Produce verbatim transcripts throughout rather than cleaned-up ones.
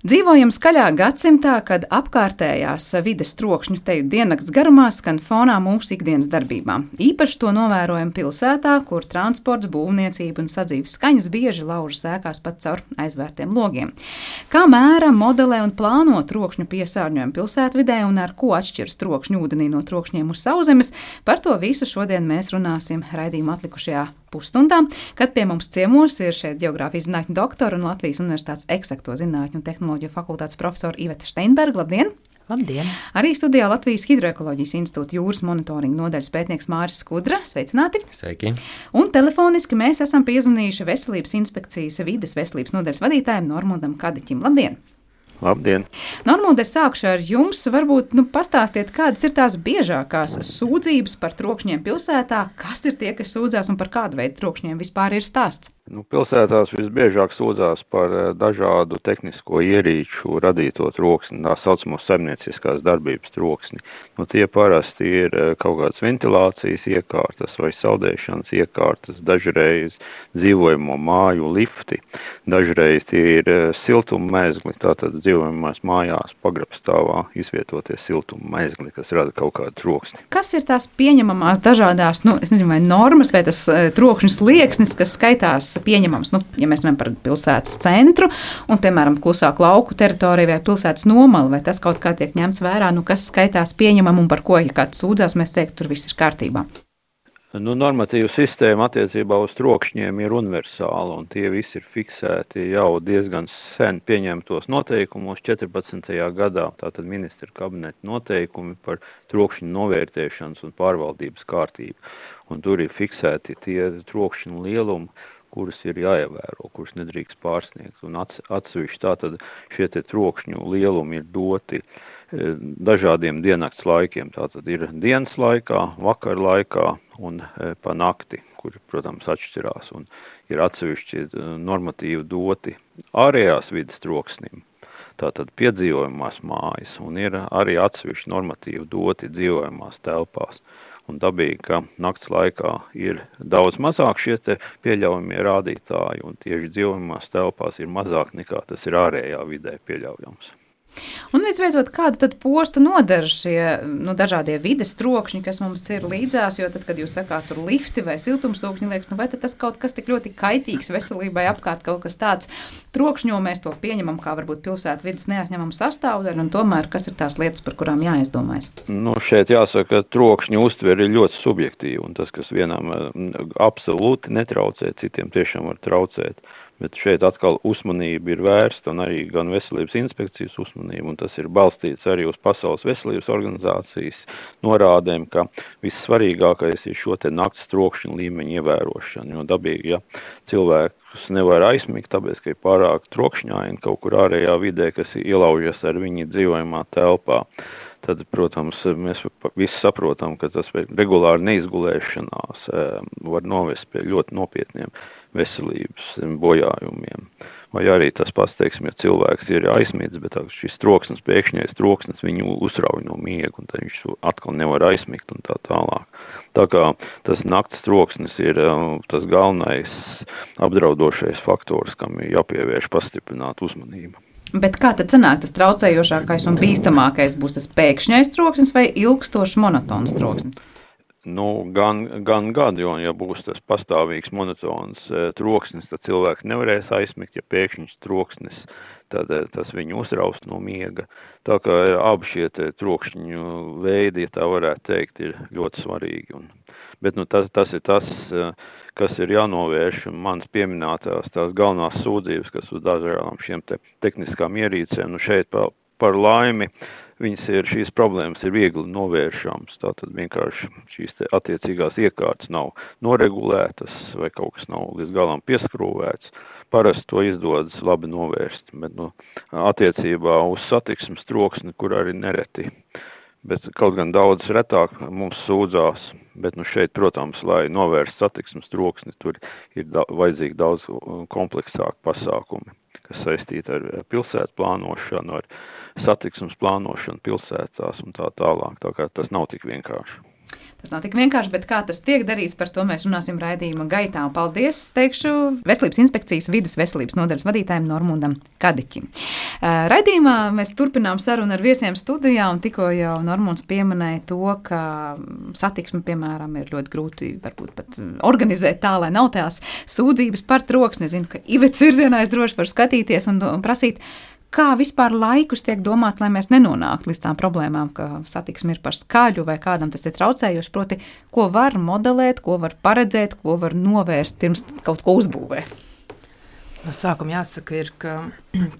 Dzīvojam skaļā gadsimtā, kad apkārtējās vides trokšņu teju diennakts garumā skan fonā mūsu ikdienas darbībām. Īpaši to novērojam pilsētā, kur transports, būvniecība un sadzīves skaņas bieži laužas ēkās pat caur aizvērtiem logiem. Kā mēra, modelē un plāno trokšņu piesārņojumu pilsētvidē un ar ko atšķiras trokšņu ūdenī no trokšņiem uz sauszemes, par to visu šodien mēs runāsim raidījuma atlikušajā pusstundā, kad pie mums ciemos ir šeit ģeogrāfijas zinātņu doktora un Latvijas Universitātes eksakto zinātņu un tehnoloģiju fakultātes profesora Iveta Steinberga. Labdien! Labdien! Arī studijā Latvijas Hidroekoloģijas institūta jūras monitoringa nodaļas pētnieks Māris Skudra. Sveicināti! Sveiki! Un telefoniski mēs esam piezvanījuši Veselības inspekcijas vides veselības nodaļas vadītājiem Normundam Kadiķim. Labdien! Labdien! Normund, es sākšu ar jums. Varbūt nu, pastāstiet, kādas ir tās biežākās sūdzības par trokšņiem pilsētā, kas ir tie, kas sūdzās un par kādu veidu trokšņiem vispār ir stāsts? Nu, pilsētās visbiežāk sūdzās par dažādu tehnisko ierīču radīto troksni, tā saucamo saimnieciskās darbības troksni. Nu, tie parasti ir kaut kādas ventilācijas iekārtas vai saldēšanas iekārtas, dažreiz dzīvojamo māju lifti, dažreiz tie ir siltuma mezgli, tātad dzīvojamās mājās pagrabstāvā izvietoties siltuma mezgli, kas rada kaut kādu troksni. Kas ir tās pieņemamās dažādās, nu, es nezinu, vai normas, vai tas trokšņu slieksnis, kas skaitās pieņemams, nu, ja mēs runājam par pilsētas centru un, piemēram, klusāku lauku teritoriju vai pilsētas nomalu, vai tas kaut kā tiek ņemts vērā, nu, kas skaitās pieņemam un par ko, ja kāds sūdzās, mēs teiktu, tur viss ir kārtībā. Nu, normatīva sistēma attiecībā uz trokšņiem ir universāla, un tie visi ir fiksēti jau diezgan sen pieņemtos noteikumos četrpadsmitajā gadā, tātad ministra kabineta noteikumi par trokšņu novērtēšanas un pārvaldības kārtību. Un tur ir fiksēti tie trokšņu lielumi, kuras ir jāievēro, kuras nedrīkst pārsniegt. Un atsevišķi tātad šie te trokšņu lielumi ir doti dažādiem diennakts laikiem. Tātad ir dienas laikā, vakar laikā un pa nakti, kur, protams, atšķirās. Un ir atsevišķi normatīvi doti ārējās vides troksnim, tātad piedzīvojamās mājas, un ir arī atsevišķi normatīvi doti dzīvojamās telpās. Un dabīgi, ka nakts laikā ir daudz mazāk šie te pieļaujamie rādītāji, un tieši dzīvojamās telpās ir mazāk nekā tas ir ārējā vidē pieļaujams. Un visbeidzot, kādu tad postu nodara šie nu, dažādie vides trokšņi, kas mums ir līdzās, jo tad, kad jūs sakāt tur lifti vai siltumsūkņi, liekas, nu vai tad tas kaut kas tik ļoti kaitīgs veselībai apkārt, kaut kas tāds trokšņo, mēs to pieņemam kā varbūt pilsētu vides neatņemam sastāvdaļu, un tomēr kas ir tās lietas, par kurām jāizdomājas? Nu, šeit jāsaka, ka trokšņu uztvere ir ļoti subjektīva, un tas, kas vienam absolūti netraucē, citiem tiešām var traucēt. Bet šeit atkal uzmanība ir vērsta un arī gan veselības inspekcijas uzmanība, un tas ir balstīts arī uz Pasaules veselības organizācijas norādēm, ka vissvarīgākais ir šo te nakts trokšņu līmeņu ievērošana, jo dabīgi, ja cilvēks nevar aizmigt, tāpēc, ka ir pārāk trokšņaini kaut kur ārējā vidē, kas ielaužas ar viņa dzīvojamā telpā. Tad, protams, mēs visi saprotam, ka tas regulāri neizgulēšanās var novest pie ļoti nopietniem veselības bojājumiem. Vai arī tas pats, teiksim, ja cilvēks ir aizmīts, bet šis troksnis, pēkšņais troksnis viņu uzrauj no miega, un tad viņš atkal nevar aizmigt un tā tālāk. Tā kā tas nakts troksnis ir tas galvenais apdraudošais faktors, kam ir jāpievērš pastiprināta uzmanība. Bet kā tad sanāk tas traucējošākais un bīstamākais būs tas pēkšņais troksnis vai ilgstošs monotons troksnis? Nu, gan, gan gadu, jo, ja būs tas pastāvīgs monotons e, troksnis, tad cilvēks nevarēs aizmigt, ja pēkšņs troksnis, tad e, tas viņu uzraust no miega. Tā kā e, abi šie te trokšņu veidi, ja tā varētu teikt, ir ļoti svarīgi. Un, bet nu, tas, tas ir tas, e, kas ir jānovērš, manas pieminētās tās galvenās sūdzības, kas uz dažādām šiem te tehniskām ierīcēm, nu šeit par, par laimi, Viņas ir, šīs problēmas ir viegli novēršams, tātad vienkārši šīs te attiecīgās iekārtas nav noregulētas vai kaut kas nav līdz galam pieskrūvēts. Parasti to izdodas labi novērst, bet nu, attiecībā uz satiksmes troksni, kur arī nereti. Bet kaut gan daudz retāk mums sūdzās, bet nu šeit, protams, lai novērst satiksmes troksni, tur ir da- vajadzīgi daudz kompleksāk pasākumi, kas saistīti ar pilsētu plānošanu, ar satiksmes plānošanu pilsētās un tā tālāk. Tā kā tas nav tik vienkārši. Tas nav tik vienkārši, bet kā tas tiek darīts, par to mēs runāsim raidījuma gaitā. Paldies, teikšu, Veselības inspekcijas vides veselības nodaļas vadītājiem Normundam Kadiķim. Raidījumā mēs turpinām sarunu ar viesiem studijā, un tikko jau Normunds pieminēja to, ka satiksmi, piemēram, ir ļoti grūti varbūt pat organizēt tā, lai nav tās sūdzības par troksni. Es zinu, ka Ivets virzienā es droši varu skatīties un, un prasīt, kā vispār laikus tiek domāts, lai mēs nenonāktu līdz tām problēmām, ka satiksme ir par skaļu vai kādam tas ir traucējoši, proti, ko var modelēt, ko var paredzēt, ko var novērst pirms kaut ko uzbūvē? No sākuma jāsaka ir, ka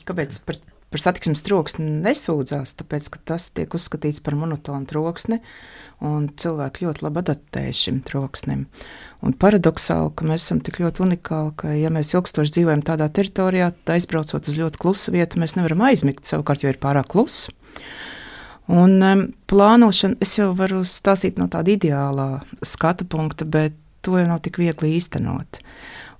kāpēc par, par satiksmes troksni nesūdzās, tāpēc, ka tas tiek uzskatīts par monotonu troksni, un cilvēki ļoti labi adaptējas šim troksnim. Un paradoksāli, ka mēs esam tik ļoti unikāli, ka ja mēs ilgstoši dzīvojam tādā teritorijā, tad aizbraucot uz ļoti klusu vietu, mēs nevaram aizmigt, savukārt, jo ir pārāk kluss. Un um, plānošana, es jau varu stāstīt no tāda ideālā skatu punkta, bet to jau nav tik viegli īstenot.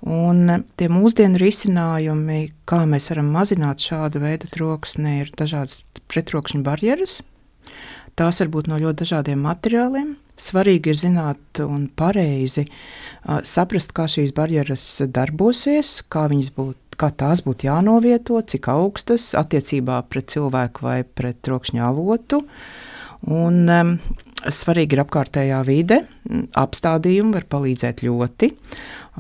Un um, tie mūsdienu risinājumi, kā mēs varam mazināt šādu veidu troksni, ir dažādas pretrokšņu barjeras. Tās var būt no ļoti dažādiem materiāliem. Svarīgi ir zināt un pareizi uh, saprast, kā šīs barjeras darbosies, kā, būt, kā tās būtu jānovieto, cik augstas attiecībā pret cilvēku vai pret trokšņa avotu. Un um, svarīgi ir apkārtējā vide, apstādījumi var palīdzēt ļoti,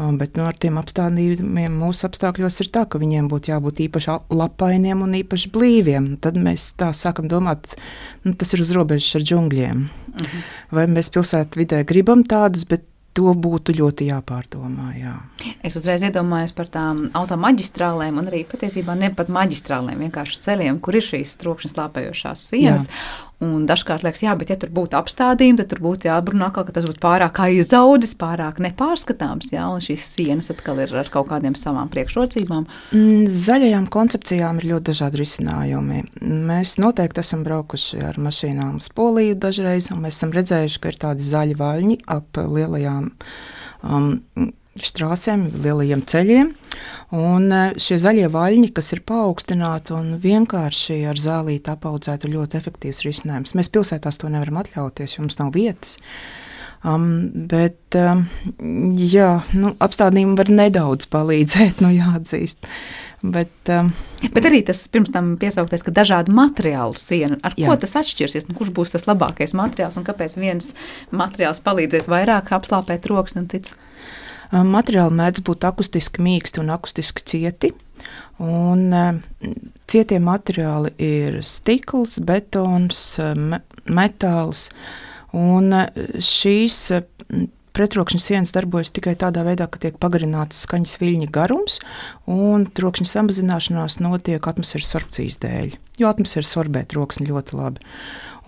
um, bet nu, ar tiem apstādījumiem mūsu apstākļos ir tā, ka viņiem būtu jābūt īpaši lapainiem un īpaši blīviem. Tad mēs tā sākam domāt, nu, tas ir uz robežas ar džungļiem. Uh-huh. Vai mēs pilsētu vidē gribam tādus, bet to būtu ļoti jāpārdomā, jā. Es uzreiz iedomājos par tām automaģistrālēm un arī patiesībā ne pat maģistrālēm, vienkārši ceļiem, kur ir šīs trokšņa slāpējošās sienas. Jā. Un dažkārt liekas, jā, bet ja tur būtu apstādījumi, tad tur būtu jābrunā atkal, ka tas būtu pārāk aizaudzis, pārāk nepārskatāms, jā, un šīs sienas atkal ir ar kaut kādiem savām priekšrocībām. Zaļajām koncepcijām ir ļoti dažādi risinājumi. Mēs noteikti esam braukuši ar mašīnām uz Poliju dažreiz, un mēs esam redzējuši, ka ir tādi zaļi vaļņi ap lielajām um, štrāsēm, lielajiem ceļiem. Un šie zaļie vaļņi, kas ir paaugstināti un vienkārši ar zālīti apaudzēti, ir ļoti efektīvs risinājums. Mēs pilsētās to nevaram atļauties, jo mums nav vietas. Um, bet, um, jā, nu, apstādījumi var nedaudz palīdzēt, nu jāatzīst. Bet, um, bet arī tas pirms tam piesauktais, ka dažādu materiālu siena, ar jā. Ko tas atšķirsies, nu, kurš būs tas labākais materiāls un kāpēc viens materiāls palīdzēs vairāk apslāpēt troksni un cits? Materiāli mēdz būt akustiski mīksti un akustiski cieti, un cietie materiāli ir stikls, betons, me, metāls, un šīs pretrokšņa sienas darbojas tikai tādā veidā, ka tiek pagarināts skaņas viļņa garums, un trokšņa samazināšanās notiek atmosfēras sorbcijas dēļ, jo atmosfēra sorbē troksni ļoti labi.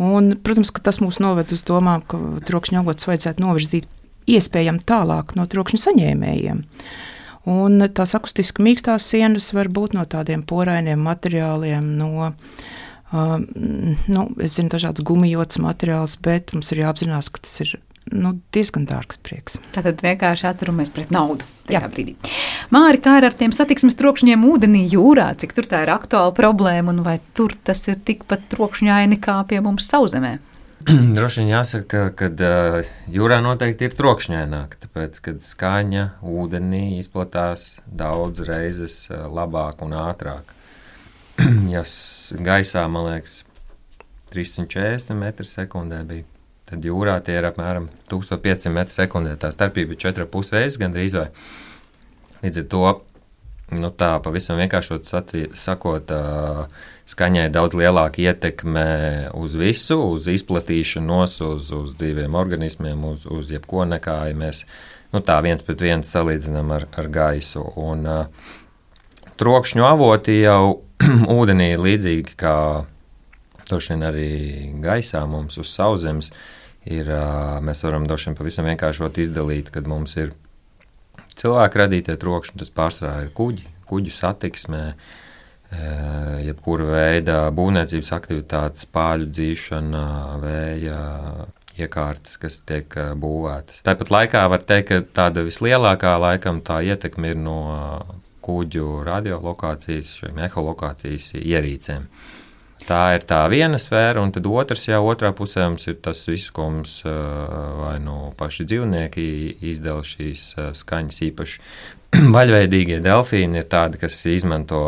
Un, protams, ka tas mūs noved uz domām, ka trokšņa avotus vajadzētu novirzīt iespējami tālāk no trokšņa saņēmējiem. Un tās akustiski mīkstās sienas var būt no tādiem porainiem materiāliem, no, uh, nu, es zinu, dažāds gumijots materiāls, bet mums ir jāapzinās, ka tas ir nu, diezgan dārgs prieks. Tātad vienkārši atturamies pret naudu tajā brīdī. Māri, kā ir ar tiem satiksmes trokšņiem ūdenī jūrā, cik tur tā ir aktuāla problēma, un vai tur tas ir tikpat trokšņaini kā pie mums Sauzzemē? Droši vien jāsaka, ka uh, jūrā noteikti ir trokšņaināk, tāpēc, kad skaņa ūdenī izplatās daudz reizes uh, labāk un ātrāk. Ja gaisā, man liekas, trīssimt četrdesmit metri sekundē bija, tad jūrā tie ir apmēram tūkstoš piecsimt metri sekundē. Tā starpība ir četri ar pus reizes gandrīz vai. Līdz ar to, nu tā pavisam vienkāršot sacī, sakot, uh, skaņai daudz lielāka ietekme uz visu, uz izplatīšanos, uz, uz dzīviem organismiem, uz, uz jebko nekā, ja mēs nu tā viens pret viens salīdzinām ar, ar gaisu. Un uh, trokšņu avoti jau ūdenī ir līdzīgi kā droši vien arī gaisā mums uz Sauszemes. Ir, uh, mēs varam droši vien pavisam vienkāršot izdalīt, kad mums ir cilvēku radītie trokšņi, tas pārsvarā ir kuģi, kuģu satiksmē, jebkura veida būvniecības aktivitātes, pāļu dzīšana, vēja iekārtas, kas tiek būvētas. Tāpat laikā var teikt, ka tāda vislielākā laikam tā ietekme ir no kuģu radiolokācijas, šiem eholokācijas ierīcēm. Tā ir tā viena sfēra, un tad otrs, jā, otrā pusē mums ir tas viss, ko mums vai nu paši dzīvnieki izdala šīs skaņas īpaši. Vaļveidīgie delfīni ir tādi, kas izmanto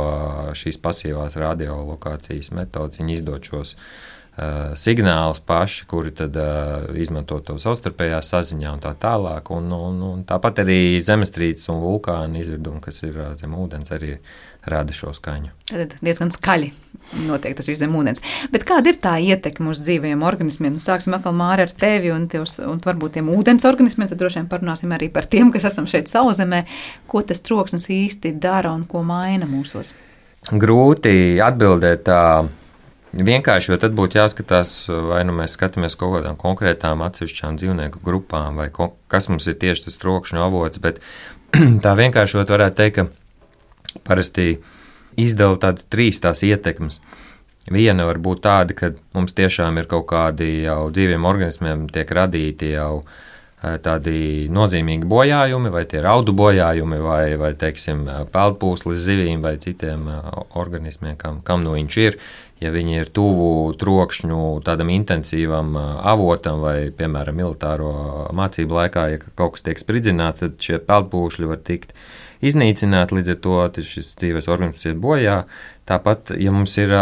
šīs pasīvās radiolokācijas metodas, viņi izdod šos uh, signālus paši, kuri tad uh, izmanto to savstarpējā saziņā un tā tālāk, un, un, un tāpat arī zemestrīces un vulkāni izvirdumi, kas ir uh, zem ūdens, arī rada šo skaņu. Tad diezgan skaļi notiek tas viss zem ūdens. Bet kāda ir tā ietekme uz dzīvajiem organismiem? Sāksim atkal, Māra, ar tevi un, tivs, un varbūt tiem ūdens organismiem, tad droši vien parunāsim arī par tiem, kas esam šeit Sauszemē. Ko tas troksnis īsti dara un ko maina mūsos? Grūti atbildēt tā vienkārši, jo tad būtu jāskatās, vai nu mēs skatāmies kaut kādām konkrētām atsevišķām dzīvnieku grupām, vai ko, kas mums ir tieši tas trokšņu avots, bet tā vienkāršot varētu teikt, ka parasti izdala tādas trīs tās ietekmes. Viena var būt tāda, ka mums tiešām ir kaut kādi jau dzīviem organismiem tiek radīti jau tādi nozīmīgi bojājumi, vai tie ir audu bojājumi, vai, vai teiksim, peldpūslis zivīm vai citiem organismiem, kam, kam no viņš ir. Ja viņi ir tuvu trokšņu tādam intensīvam avotam vai, piemēram, militāro mācību laikā, ja kaut kas tiek spridzināts, tad šie peldpūšļi var tikt iznīcināt, līdz ar to šis dzīves organisms iet bojā. Tāpat, ja mums ir,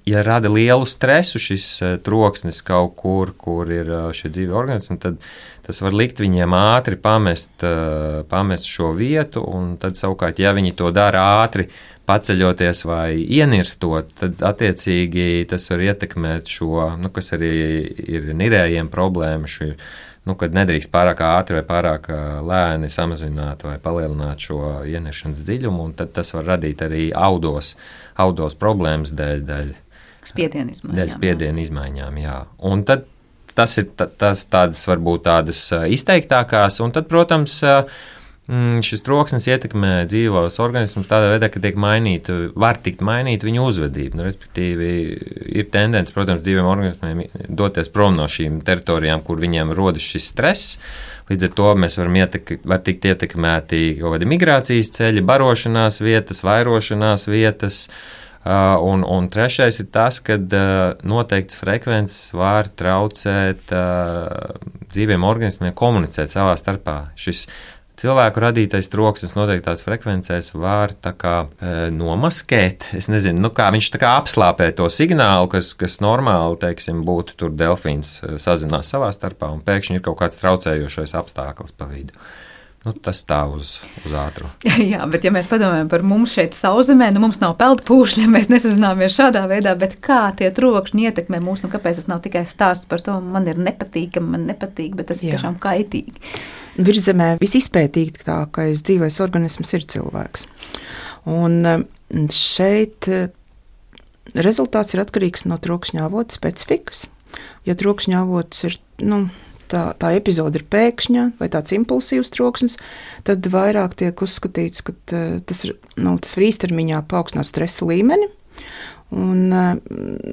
ja rada lielu stresu šis troksnis kaut kur, kur ir šie dzīvi organismi, tad tas var likt viņiem ātri pamest, pamest šo vietu, un tad savukārt, ja viņi to dara ātri, paceļoties vai ienirstot, tad attiecīgi tas var ietekmēt šo, nu, kas arī ir nirējiem problēma, šī, nu, kad nedrīkst pārāk ātri vai pārāk lēni samazināt vai palielināt šo ieniršanas dziļumu, un tad tas var radīt arī audos, audos problēmas dēļ, dēļ spiedienu izmaiņām. Dēļ spiedienu izmaiņām, jā. Un tad tas ir tas tādas varbūt tādas izteiktākās, un tad, protams, šis troksnis ietekmē dzīvos organismus tādā veidā, ka tiek mainīta, var tikt mainīta viņu uzvedība. Nu, respektīvi, ir tendence, protams, dzīviem organismiem doties prom no šīm teritorijām, kur viņiem rodas šis stress. Līdz ar to mēs varam ietek, var tikt ietekmēti kaut kādi migrācijas ceļi, barošanās vietas, vairošanās vietas. Uh, un, un trešais ir tas, ka uh, noteikts frekvences var traucēt uh, dzīviem organismiem komunicēt savā starpā. Šis cilvēku radītais troksnis noteiktās frekvencēs var tā kā e, nomaskēt, es nezinu, nu kā viņš tā kā apslāpē to signālu, kas, kas normāli, teiksim, būtu tur delfīns sazinās savā starpā, un pēkšņi ir kaut kāds traucējošais apstākļus pa vidu. Nu, tas tā uz, uz ātru. Jā, bet ja mēs padomājam par mums šeit Sauszemē, nu mums nav peldpūšļi, mēs nesazināmies šādā veidā, bet kā tie trokšņi ietekmē mūs, un kāpēc tas nav tikai stāsts par to, man ir nepatīkami, man nepatīk, bet tas ir Jā. Tiešām kaitīgi. Virzemē visizpētītākais dzīvais organisms ir cilvēks. Un šeit rezultāts ir atkarīgs no trokšņa avota specifikas. Ja trokšņa avots ir, nu, tā, tā epizode ir pēkšņa vai tāds impulsīvs troksnis, tad vairāk tiek uzskatīts, ka tas, ir, nu, tas var īstermiņā paaugstināt stresa līmeni. Un,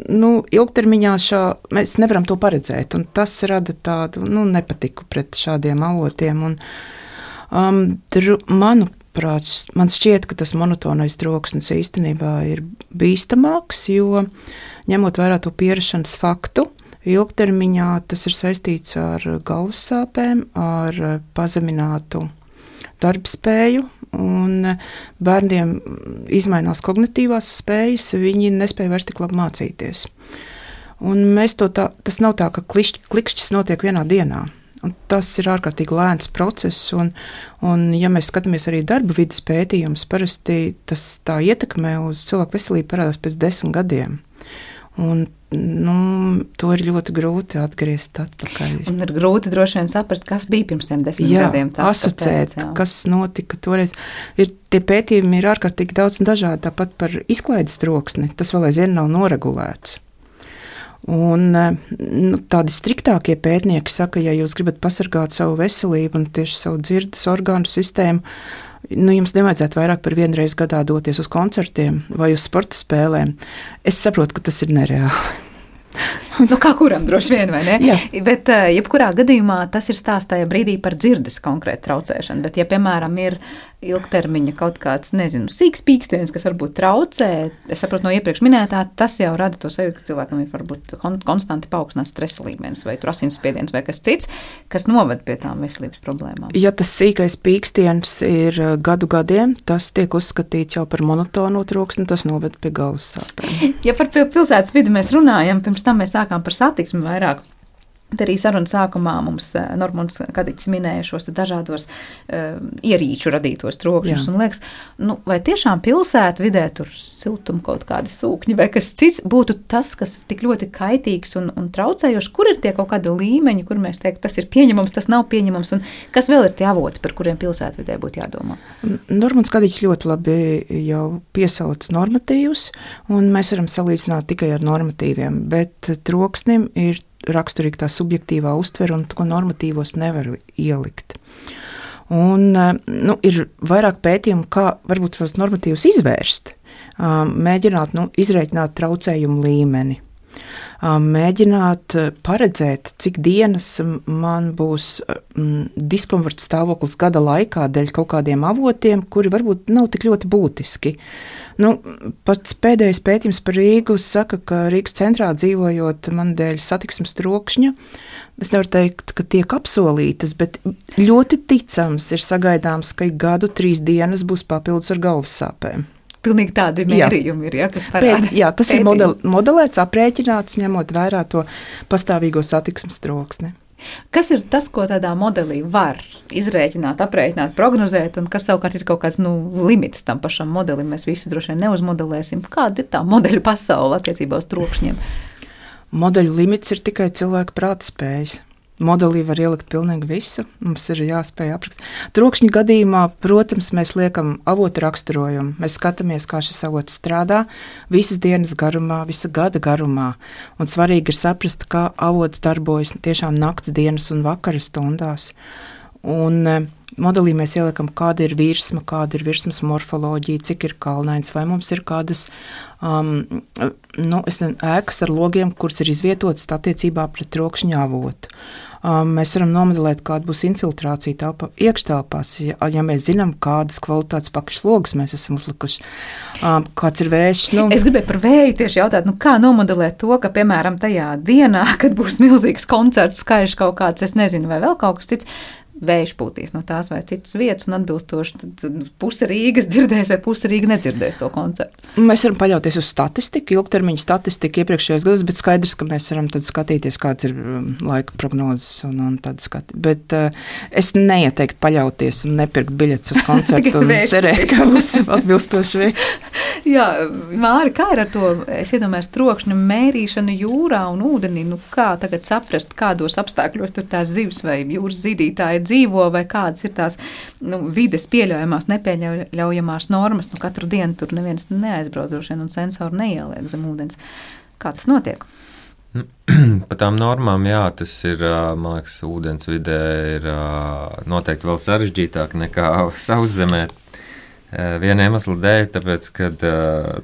nu, ilgtermiņā šā, mēs nevaram to paredzēt, un tas rada tādu nu, nepatiku pret šādiem avotiem. Un, um, dru, manuprāt, man šķiet, ka tas monotonais troksnis īstenībā ir bīstamāks, jo ņemot vērā to pierašanas faktu, ilgtermiņā tas ir saistīts ar galvas sāpēm, ar pazeminātu darbspēju, un bērniem izmainās kognitīvās spējas, viņi nespēja vairs tik labi mācīties. Un mēs to tā, tas nav tā, ka klišķ, klikšķis notiek vienā dienā. Un tas ir ārkārtīgi lēns process, un, un ja mēs skatāmies arī darba vidas pētījumus, parasti tas tā ietekmē uz cilvēku veselību parādās pēc desmit gadiem. Un, nu, to ir ļoti grūti atgriezt atpakaļ. Un ir grūti droši vien saprast, kas bija pirms tiem desmit jā, gadiem. Tas asociēt, tāpēc, kas notika toreiz. Ir, tie pētījumi ir ārkārtīgi daudz un dažādi, tāpat par izklaides troksni. Tas vēl aizvien nav noregulēts. Un nu, tādi striktākie pētnieki saka, ja jūs gribat pasargāt savu veselību un tieši savu dzirdes orgānu sistēmu, nu, jums nevajadzētu vairāk par vienu reizi gadā doties uz koncertiem vai uz sporta spēlēm. Es saprotu, ka tas ir nereāli. Nu, kā kuram droši vien, vai ne? Jā. Bet, jebkurā gadījumā, tas ir stāsts tajā brīdī par dzirdes konkrētu traucēšanu. Bet, ja, piemēram, ir ilgtermiņa kaut kāds, nezinu, sīks pīkstiens, kas varbūt traucē, es saprotu no iepriekš minētā, tas jau rada to sajūtu, ka cilvēkam ir varbūt konstanti paaugstināts stresa līmenis vai asinsspiediens vai kas cits, kas noved pie tām veselības problēmām. Ja tas sīkais pīkstiens ir gadu gadiem, tas tiek uzskatīts jau par monotonu troksni, tas noved pie galvas sāpēm. Ja par pilsētas vidi mēs runājam, pirms tam mēs sākām par satiksmi vairāk. Te arī sarunas sākumā mums Normons Kadiķis minēja šos dažādos uh, ierīču radītos trokšņus. Un liekas, nu, vai tiešām pilsētu vidē tur siltuma kaut kādi sūkņi vai kas cits būtu tas, kas ir tik ļoti kaitīgs un, un traucējošs? Kur ir tie kaut kādi līmeņi, kur mēs teiktu, tas ir pieņemams, tas nav pieņemams? Un kas vēl ir tie avoti, par kuriem pilsētu vidē būtu jādomā? Normons Kadiķis ļoti labi jau piesauc normatīvus, un mēs varam salīdzināt tikai ar normatīviem, bet troksnim ir raksturīgi tā subjektīvā uztvere, un ko normatīvos nevar ielikt. Un, nu, ir vairāk pētījumu, kā varbūt tos normatīvus izvērst, mēģināt nu, izrēķināt traucējumu līmeni, mēģināt paredzēt, cik dienas man būs diskomforta stāvoklis gada laikā dēļ kaut kādiem avotiem, kuri varbūt nav tik ļoti būtiski. Nu, pats pēdējais pētījums par Rīgu saka, ka Rīgas centrā dzīvojot man dēļ satiksmes trokšņa, es nevaru teikt, ka tiek apsolītas, bet ļoti ticams ir sagaidāms, ka gadu trīs dienas būs papildus ar galvas sāpēm. Pilnīgi tādi mērījumi ir, ja, kas parāda. Jā, tas Pētījumi. ir model, modelēts, aprēķināts, ņemot vērā to pastāvīgo satiksmes troksni. Kas ir tas, ko tādā modelī var izrēķināt, aprēķināt, prognozēt, un kas savukārt ir kaut kāds nu, limits tam pašam modelim? Mēs visi droši vien neuzmodelēsim. Kāda ir tā modeļu pasaule attiecībā uz trokšņiem? Modeļu limits ir tikai cilvēka prāta spējas. Modelī var ielikt pilnīgi visu, mums ir jāspēj aprakstīt. Trokšņa gadījumā, protams, mēs liekam avotu raksturojumu. Mēs skatāmies, kā šis avots strādā visas dienas garumā, visa gada garumā. Un svarīgi ir saprast, kā avots darbojas tiešām nakts, dienas un vakara stundās. Un modelī mēs ieliekam, kāda ir virsma, kāda ir virsmas morfoloģija, cik ir kalnains, vai mums ir kādas um, nu, es ne, ēkas ar logiem, kuras ir izvietotas attiecībā pret trokšņa avotu. Um, mēs varam nomodelēt, kāda būs infiltrācija telpa, iekštelpās, ja, ja mēs zinām, kādas kvalitātes pakšlogas mēs esam uzlikuši, um, kāds ir vējš. Nu. Es gribēju par vēju tieši jautāt, nu kā nomodelēt to, ka, piemēram, tajā dienā, kad būs milzīgs koncerts, skaļš kaut kāds, es nezinu, vai vēl kaut kas cits, vējš pūtīs no tās vai citas vietas un atbilstoši tad puse Rīgas dzirdēs vai puse Rīga nedzirdēs to koncertu. Mēs varam paļauties uz statistiku, ilgtermiņa statistiku iepriekšējos gados, bet skaidrs, ka mēs varam tad skatīties, kāds ir laika prognozes un, un tad skatīt. Bet uh, es neieteiktu paļauties un nepirkt biļetes uz koncertu un cerēt, ka būs atbilstoši vējš. Jā, Māri, kā ir ar to, es iedomājos, trokšņa mērīšanu jūrā un ūdenī, nu kā tagad saprast, kādos apstākļos tur tās zivs vai jūras zīdītāji dzīvo, vai kādas ir tās nu, vides pieļaujamās, nepieļaujamās normas. Nu, katru dienu tur neviens neaizbrauc droši vien un sensoru neieliek zem ūdens. Kā tas notiek? Pa tām normām, jā, tas ir, man liekas, ūdens vidē ir noteikti vēl sarežģītāk nekā sauszemē. Viena iemesla dēļ, tāpēc, kad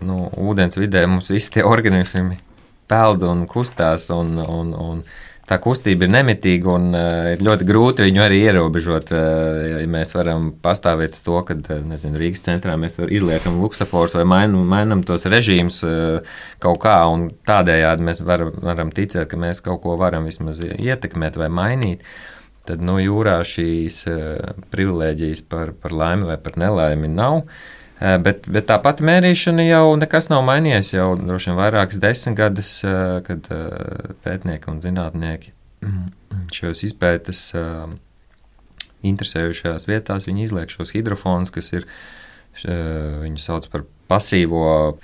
nu, ūdens vidē mums visi tie organismi peld un kustās un, un, un tā kustība ir nemitīga un uh, ir ļoti grūti viņu arī ierobežot. Uh, ja mēs varam pastāvēt uz to, ka nezinu, Rīgas centrā mēs izliekam luksaforus vai mainam, mainam tos režīmus uh, kaut kā, un tādējādi mēs var, varam ticēt, ka mēs kaut ko varam vismaz ietekmēt vai mainīt. Tad no jūrā šīs uh, privilēģijas par, par laimi vai par nelaimi nav. Bet, bet tāpat mērīšana jau nekas nav mainījies, jau droši vien vairākas desmitgades, kad pētnieki un zinātnieki šajos izpētes interesējušajās vietās, viņi izliek šos hidrofonus, kas ir, viņi sauc par pasīvo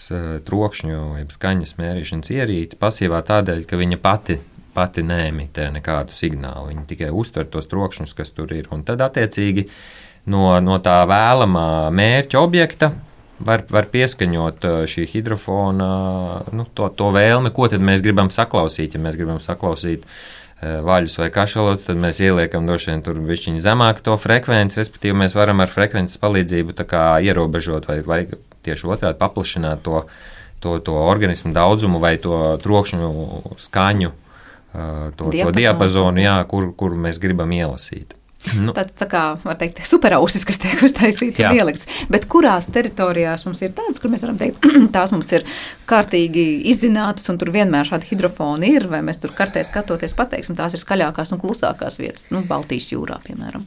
trokšņu, jeb skaņas mērīšanas ierīci, pasīvā tādēļ, ka viņa pati, pati neemitē nekādu signālu, viņa tikai uztver tos trokšņus, kas tur ir, un tad attiecīgi No, no tā vēlamā mērķa objekta var, var pieskaņot šī hidrofona nu, to, to vēlmi, ko tad mēs gribam saklausīt. Ja mēs gribam saklausīt vaļus vai kašalotus, tad mēs ieliekam droši vien tur bišķiņu zemāk to frekvenci, respektīvi mēs varam ar frekvences palīdzību tā kā ierobežot vai, vai tieši otrādi paplašināt to to, to organismu daudzumu vai to trokšņu skaņu, to, to diapazonu, jā, kur, kur mēs gribam ielasīt. Nu. Tāds tā kā, var teikt, superausis, kas tiek uztaisīts un ielikts. Bet kurās teritorijās mums ir tādas, kur mēs varam teikt, tās mums ir kārtīgi izzinātas un tur vienmēr šādi hidrofoni ir, vai mēs tur kartē skatoties pateiksim, tās ir skaļākās un klusākās vietas, nu, Baltijas jūrā, piemēram.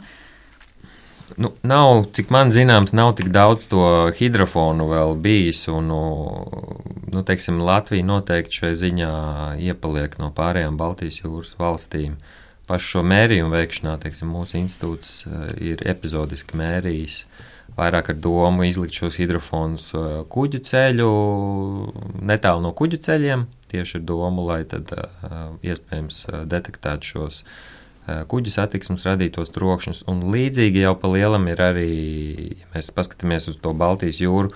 Nu, nav, cik man zināms, nav tik daudz to hidrofonu vēl bijis, un, nu, teiksim, Latvija noteikti šai ziņā iepaliek no pārējām Baltijas jūras valstīm. Pašu šo mērījumu veikšanā, teiksim, mūsu institūts ir epizodiski mērījis vairāk ar domu izlikt šos hidrofonus kuģu ceļu, netālu no kuģu ceļiem, tieši ar domu, lai tad iespējams detektētu šos kuģu satiksmes radītos trokšņus. Un līdzīgi jau pa lielam ir arī, ja mēs paskatāmies uz to Baltijas jūru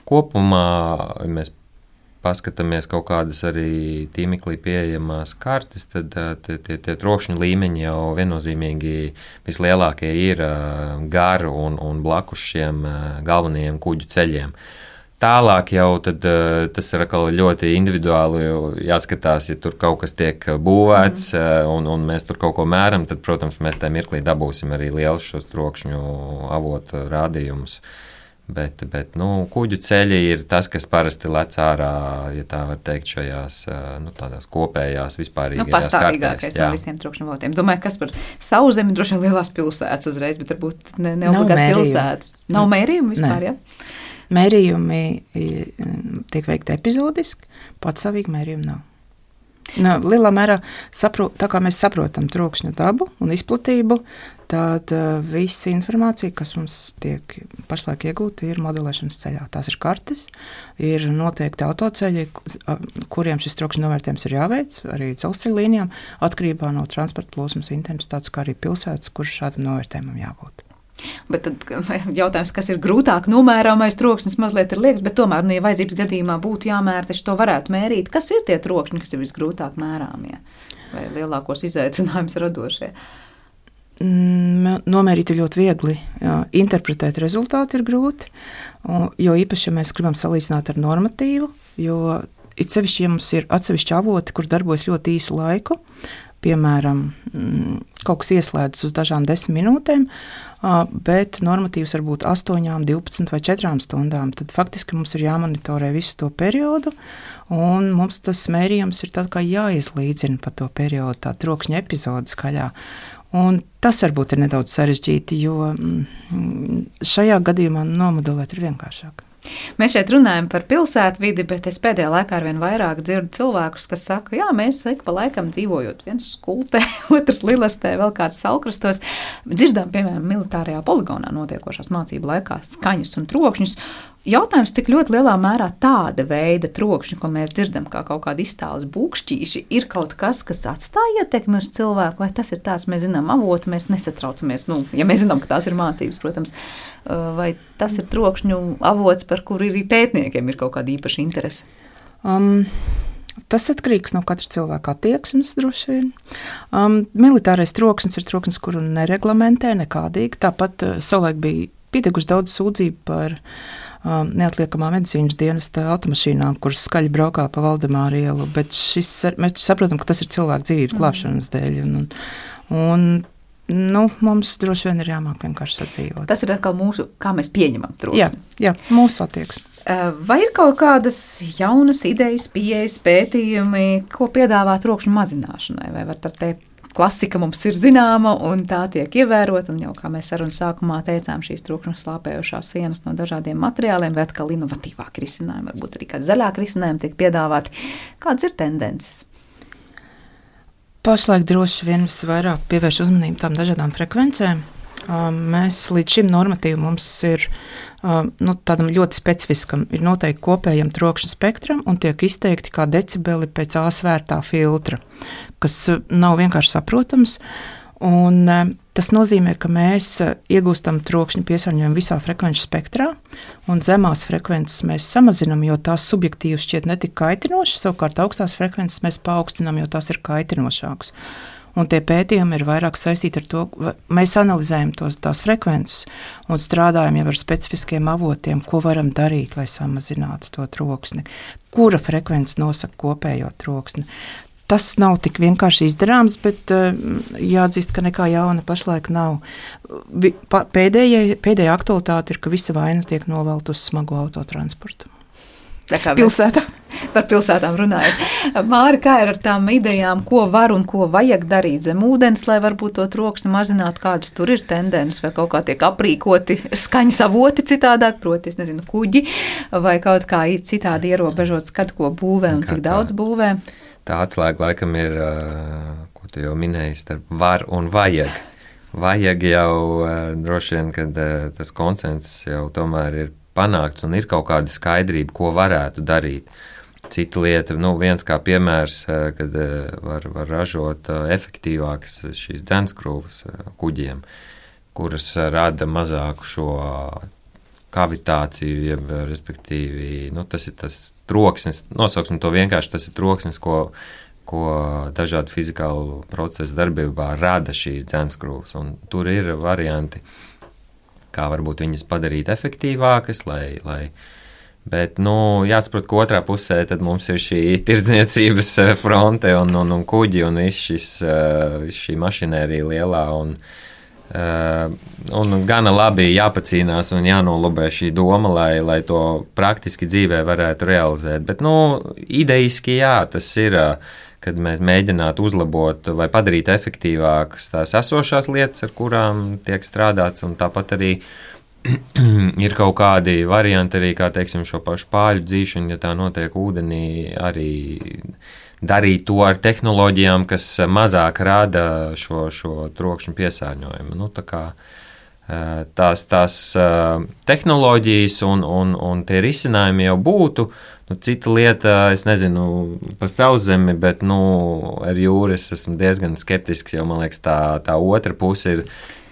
kopumā, mēs paskatāmies kaut kādas arī tīmeklī pieejamās kartes, tad tie, tie, tie trokšņu līmeņi jau viennozīmīgi vislielākie ir garu un, un blakus šiem galvenajiem kuģu ceļiem. Tālāk jau tad, tas ir ļoti individuāli jāskatās, ja tur kaut kas tiek būvēts mm. un, un mēs tur kaut ko mēram, tad, protams, mēs tajā mirklī dabūsim arī lielus šos trokšņu avotu rādījumus. Bet, bet nu, kuģu ceļi ir tas, kas parasti lec ārā, ja tā var teikt, šajās nu, tādās kopējās vispārīgajās nu, pastāvīgākais kartēs. No visiem trokšņu avotiem. Domāju, kas par Sauszemi droši vien lielās pilsētas uzreiz, bet varbūt ne, ne obligāti pilsētas. Nav mērījumi vispār, jā? Ja? Mērījumi tiek veikti epizodiski, patstāvīgi mērījumi nav. Nu, lielā mērā, saprot, tā kā mēs saprotam trokšņa dabu un izplatību, tad uh, visa informācija, kas mums tiek pašlaik iegūta, ir modelēšanas ceļā. Tās ir kartes, ir noteikti autoceļi, kuriem šis trokšņa novērtējums ir jāveic, arī dzelzceļa līnijām, atkarībā no transporta plūsmas intensitātes, kā arī pilsētas, kur šādam novērtējumam jābūt. Bet tad jautājums, kas ir grūtāk nomērāmais troksnis, mazliet ir liekas, bet tomēr, nu, ja vajadzības gadījumā būtu jāmēra, taču to varētu mērīt. Kas ir tie trokšņi, kas ir visgrūtāk mērāmie vai lielākos izaicinājumus radošie? Nomērīt ir ļoti viegli. Jā, interpretēt rezultāti ir grūti, jo īpaši, ja mēs gribam salīdzināt ar normatīvu, jo it sevišķi, ja mums ir atsevišķi avoti, kur darbojas ļoti īsu laiku, piemēram, kaut kas ieslēdzas uz dažām desmit minūtēm, bet normatīvs var būt astoņām, divpadsmit vai četrām stundām. Tad faktiski mums ir jāmonitorē visu to periodu, un mums tas mērījums ir tā kā jāizlīdzina pa to periodu, tā trokšņa epizode skaļā. Un tas varbūt ir nedaudz sarežģīti, jo šajā gadījumā nomodelēt ir vienkāršāk. Mēs šeit runājam par pilsētvidi, bet es pēdējā laikā arvien vairāk dzirdu cilvēkus, kas saka, jā, mēs ik pa laikam dzīvojot viens skultē, otrs Lilastē, vēl kāds Salkrastos, dzirdām, piemēram, militārajā poligonā notiekošās mācību laikā skaņas un trokšņus. Jautājums, cik ļoti lielā mērā tāda veida trokšņi, ko mēs dzirdam kā kaut kādi iztāles būkšķīši, ir kaut kas, kas atstāja ietekmi uz cilvēku, vai tas ir tās, mēs zinām avoti, mēs nesatraucamies, nu, ja mēs zinām, ka tās ir mācības, protams, vai tas ir trokšņu avots, par kuru arī pētniekiem ir kaut kāda īpaša interese? Um. Tas atkarīgs no katra cilvēka attieksmes, droši vien. Um, militārais troksnis ir troksnis, kuru nereglamentē nekādīgi. Tāpat uh, savulaik bija pietiekuši daudz sūdzību par um, neatliekamā medicīnas dienesta automašīnām, kuras skaļi braukā pa Valdemāra ielu, bet šis, mēs saprotam, ka tas ir cilvēku dzīvības glābšanas dēļ. Un, un, nu, mums droši vien ir jāmāk vienkārši sadzīvot. Tas ir atkal mūsu, kā mēs pieņemam troksni. Jā, jā, mūsu attieksme. Vai ir kaut kādas jaunas idejas, pieejas, pētījumi, ko piedāvā trokšņu mazināšanai? Vai var teikt, klasika mums ir zināma un tā tiek ievērota, un jau, kā mēs sarunas sākumā teicām, šīs trokšņu slāpējošās sienas no dažādiem materiāliem, vai atkal inovatīvāki risinājumi, varbūt arī kādi zaļāki risinājumi tiek piedāvāti. Kādas ir tendences? Pašlaik droši vien visvairāk pievērš uzmanību tām dažādām frekvencēm. Mēs līdz šim normatīvu mums ir nu, tādam ļoti specifiskam, ir noteikti kopējam trokšņa spektram un tiek izteikti kā decibeli pēc A svērtā filtra, kas nav vienkārši saprotams. Un tas nozīmē, ka mēs iegūstam trokšņa piesārņojumu visā frekvenču spektrā, un zemās frekvences mēs samazinam, jo tās subjektīvi šķiet netik kaitinošas, savukārt augstās frekvences mēs paaugstinām, jo tās ir kaitinošākas. un tie pētījumi ir vairāk saistīti ar to, mēs analizējam tos, tās frekvences un strādājam jau ar specifiskiem avotiem, ko varam darīt, lai samazinātu to troksni. Kura frekvence nosaka kopējo troksni? Tas nav tik vienkārši izdarāms, bet uh, jāatzīst, ka nekā jauna pašlaik nav. Pēdējā, pēdējā aktualitāte ir, ka visa vaina tiek novelt uz smago autotransportu. Pilsētā. Par pilsētām runājot. Māri, kā ir ar tām idejām, ko var un ko vajag darīt zem ūdens, lai varbūt to troksni mazinātu, kādas tur ir tendences, vai kaut kā tiek aprīkoti skaņas avoti citādāk, proti, es nezinu, kuģi, vai kaut kā citādi ierobežot skatu, ko būvē un cik daudz būvē? Tā atslēga laikam ir, ko tu jau minēji, starp var un vajag. Vajag jau droši vien, kad tas konsensus jau tomēr ir panākts un ir kaut kāda skaidrība, ko varētu darīt. Cita lieta, nu viens kā piemērs, kad var, var ražot efektīvākas šīs dzenskrūvas kuģiem, kuras rada mazāku šo kavitāciju, jeb, respektīvi, nu, tas ir tas troksnis, nosauksim to vienkārši, tas ir troksnis, ko, ko dažādu fizikālu procesu darbībā rada šīs dzenskrūvas, un tur ir varianti, kā varbūt viņas padarīt efektīvākas, lai, lai bet, nu, jāsaprot, ka otrā pusē tad mums ir šī tirdzniecības fronte un, un, un kuģi un viss šis, viss šī mašinērija lielā un, un gana labi jāpacīnās un jānolobē šī doma, lai, lai to praktiski dzīvē varētu realizēt. Bet, nu, ideiski jā, tas ir, kad mēs mēģinātu uzlabot vai padarīt efektīvākas tās esošās lietas, ar kurām tiek strādāts, un tāpat arī ir kaut kādi varianti arī, kā teiksim, šo pašu pāļu dzīšanu, ja tā notiek ūdenī, arī darīt to ar tehnoloģijām, kas mazāk rada šo, šo trokšņu piesārņojumu. Nu, tā kā tās, tās tehnoloģijas un, un, un tie risinājumi jau būtu. Nu, cita lieta, es nezinu, pa sauszemi, bet, nu, ar jūru es esmu diezgan skeptisks, jo, man liekas, tā, tā otra puse ir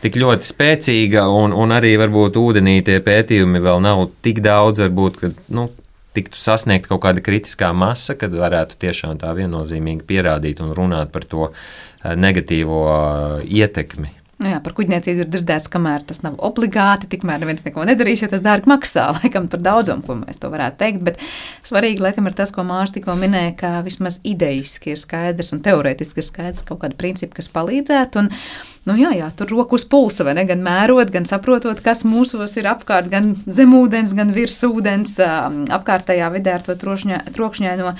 tik ļoti spēcīga, un, un arī varbūt ūdenī tie pētījumi vēl nav tik daudz, varbūt, ka, nu, tiktu sasniegt kaut kāda kritiskā masa, kad varētu tiešām tā viennozīmīgi pierādīt un runāt par to negatīvo ietekmi. Nu jā, par kuģniecību ir dzirdēts, kamēr tas nav obligāti, tikmēr neviens neko nedarīs, ja tas dārgi maksā, laikam par daudzumu, ko mēs to varētu teikt, bet svarīgi, laikam, ir tas, ko Mārs tikko minēja, ka vismaz idejiski ir skaidrs un teorētiski ir skaidrs kaut kāda principa, kas palīdzētu, un, nu jā, jā, tur roku uz pulsa, vai ne, gan mērot, gan saprotot, kas mūsos ir apkārt, gan zemūdens, gan virsūdens, apkārtējā vidē ar to trokšņaino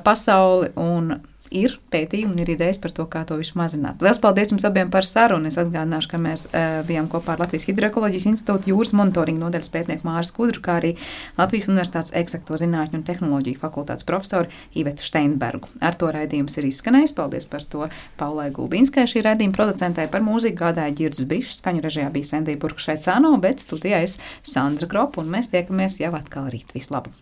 pasauli, un ir pētījumi un ir idejas par to, kā to visu mazināt. Lielas paldies jums abiem par sarunu. Es atgādināšu, ka mēs uh, bijām kopā ar Latvijas Hidroekoloģijas institūta jūras monitoringa nodaļas pētnieku Māri Skudru, kā arī Latvijas Universitātes eksakto zinātņu un tehnoloģiju fakultātes profesoru Ivetu Steinbergu. Ar to raidījums ir izskanējis. Paldies par to Paulai Gulbinskai, šī raidījuma producentē, par mūziku gādāja Ģirds Bišs, skaņu režijā bija Sendija Burkšaicāno, bet studijā es Sandra Kropa, un mēs tiekamies jau atkal rīt. Vislabāk!